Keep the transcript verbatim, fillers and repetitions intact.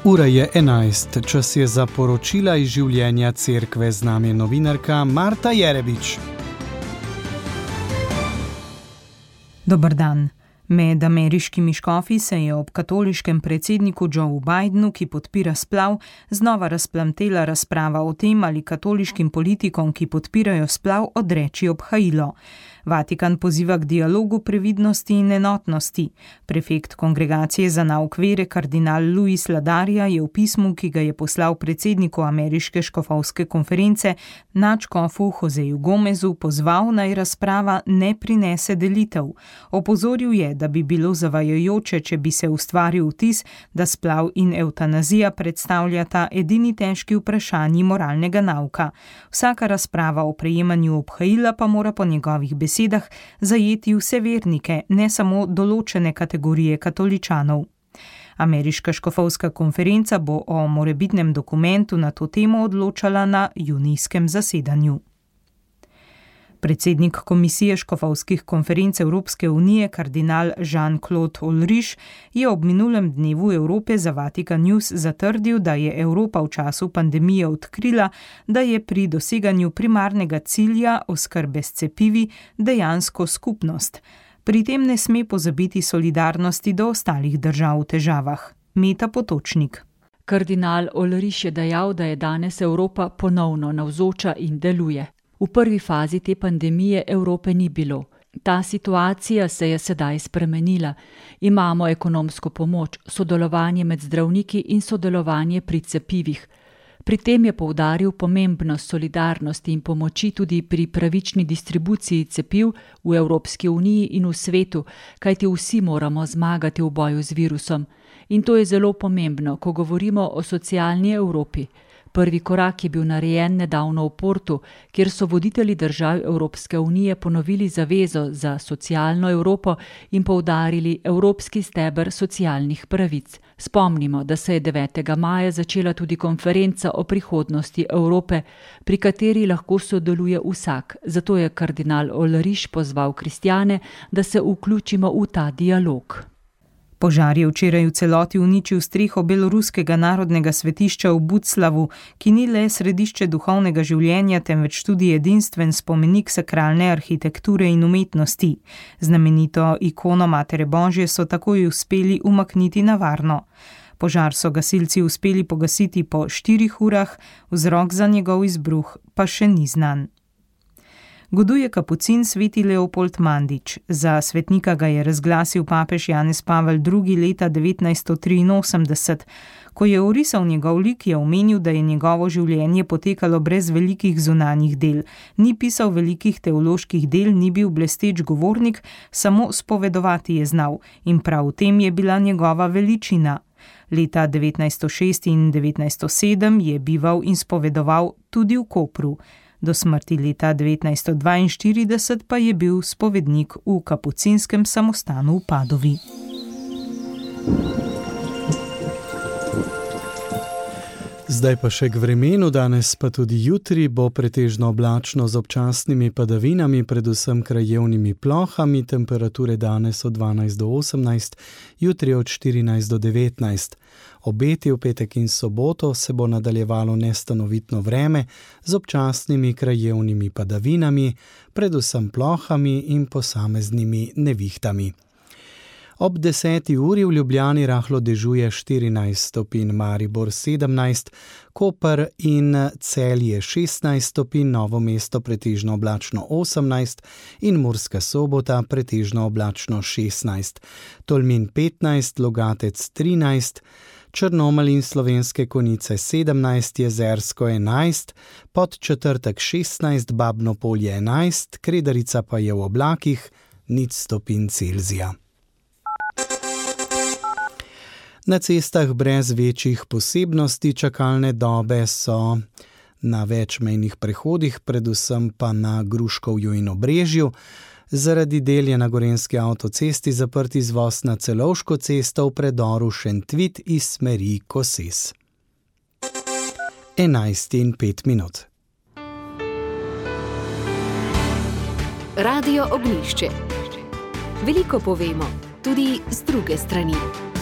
Ura je enajst, čas je za poročila iz življenja cerkve, z nami je novinarka Marta Jerebič. Dober dan. Med ameriškimi škofi se je ob katoliškem predsedniku Joe Bidenu, ki podpira splav, znova razplamtela razprava o tem, ali katoliškim politikom, ki podpirajo splav, odreči obhajilo. Vatikan poziva k dialogu, previdnosti in enotnosti. Prefekt Kongregacije za nauk vere kardinal Luis Ladaria je v pismu, ki ga je poslal predsedniku ameriške škofovske konference, nadškofu Joseju Gomezu, pozval, naj razprava ne prinese delitev. Opozoril je, da bi bilo zavajajoče, če bi se ustvaril vtis, da splav in evtanazija predstavljata edini težki vprašanji moralnega nauka. Vsaka razprava o prejemanju obhajila pa mora po njegovih besedah zajeti vse vernike, ne samo določene kategorije katoličanov. Ameriška škofovska konferenca bo o morebitnem dokumentu na to temo odločala na junijskem zasedanju. Predsednik Komisije škofovskih konferenc Evropske unije, kardinal Jean-Claude Ulrich, je ob minulem dnevu Evrope za Vatikan News zatrdil, da je Evropa v času pandemije odkrila, da je pri doseganju primarnega cilja oskrbe s cepivi dejansko skupnost. Pri tem ne sme pozabiti solidarnosti do ostalih držav v težavah. Meta Potočnik. Kardinal Ulrich je dejal, da je danes Evropa ponovno navzoča in deluje. V prvi fazi te pandemije Evrope ni bilo. Ta situacija se je sedaj spremenila. Imamo ekonomsko pomoč, sodelovanje med zdravniki in sodelovanje pri cepivih. Pri tem je poudaril pomembnost solidarnosti in pomoči tudi pri pravični distribuciji cepiv v Evropski uniji in v svetu, kajti vsi moramo zmagati v boju z virusom. In to je zelo pomembno, ko govorimo o socialni Evropi. Prvi korak je bil narejen nedavno v Portu, kjer so voditelji držav Evropske unije ponovili zavezo za socialno Evropo in poudarili evropski steber socialnih pravic. Spomnimo, da se je devetega maja začela tudi konferenca o prihodnosti Evrope, pri kateri lahko sodeluje vsak. Zato je kardinal Ulrich pozval kristjane, da se vključimo v ta dialog. Požar je včeraj v celoti uničil streho beloruskega narodnega svetišča v Buclavu, ki ni le središče duhovnega življenja, temveč tudi edinstven spomenik sakralne arhitekture in umetnosti. Znamenito ikono Matere Božje so takoj uspeli umakniti na varno. Požar so gasilci uspeli pogasiti po štirih urah, vzrok za njegov izbruh pa še ni znan. Goduje kapucin sveti Leopold Mandič. Za svetnika ga je razglasil papež Janez Pavel drugi. leta devetnajststo triinosemdeset. Ko je orisal njegov lik, je omenil, da je njegovo življenje potekalo brez velikih zunanjih del. Ni pisal velikih teoloških del, ni bil blesteč govornik, samo spovedovati je znal in prav v tem je bila njegova veličina. Leta devetnajststo šest in devetnajststo sedem je bival in spovedoval tudi v Kopru. Do smrti leta devetnajststo dvainštirideset pa je bil spovednik v kapucinskem samostanu v Padovi. Zdaj pa še k vremenu, danes pa tudi jutri bo pretežno oblačno z občasnimi padavinami, predvsem krajevnimi plohami, temperature danes od dvanajst do osemnajst, jutri od štirinajst do devetnajst. Obeti v petek in soboto se bo nadaljevalo nestanovitno vreme z občasnimi krajevnimi padavinami, predvsem plohami in posameznimi nevihtami. Ob deseti uri v Ljubljani rahlo dežuje štirinajst stopinj, Maribor sedemnajst, Koper in Celje šestnajst stopinj, Novo mesto pretežno oblačno osemnajst in Murska Sobota pretežno oblačno šestnajst, Tolmin petnajst, Logatec trinajst, Črnomelj in Slovenske Konjice sedemnajst, Jezersko enajst, Podčetrtek šestnajst, Babno Polje enajst, Kredarica pa je v oblakih nič stopinj Celzija. Na cestah brez večjih posebnosti čakalne dobe so na več mejnih prehodih, predvsem pa na Gruškovju in Obrežju. Zaradi del je na Gorenjski avtocesti zaprt izvoz na Celovško cesto v predoru Šentvit iz smeri Koses. enajst in pet minut. Radio Ognjišče. Veliko povemo, tudi z druge strani.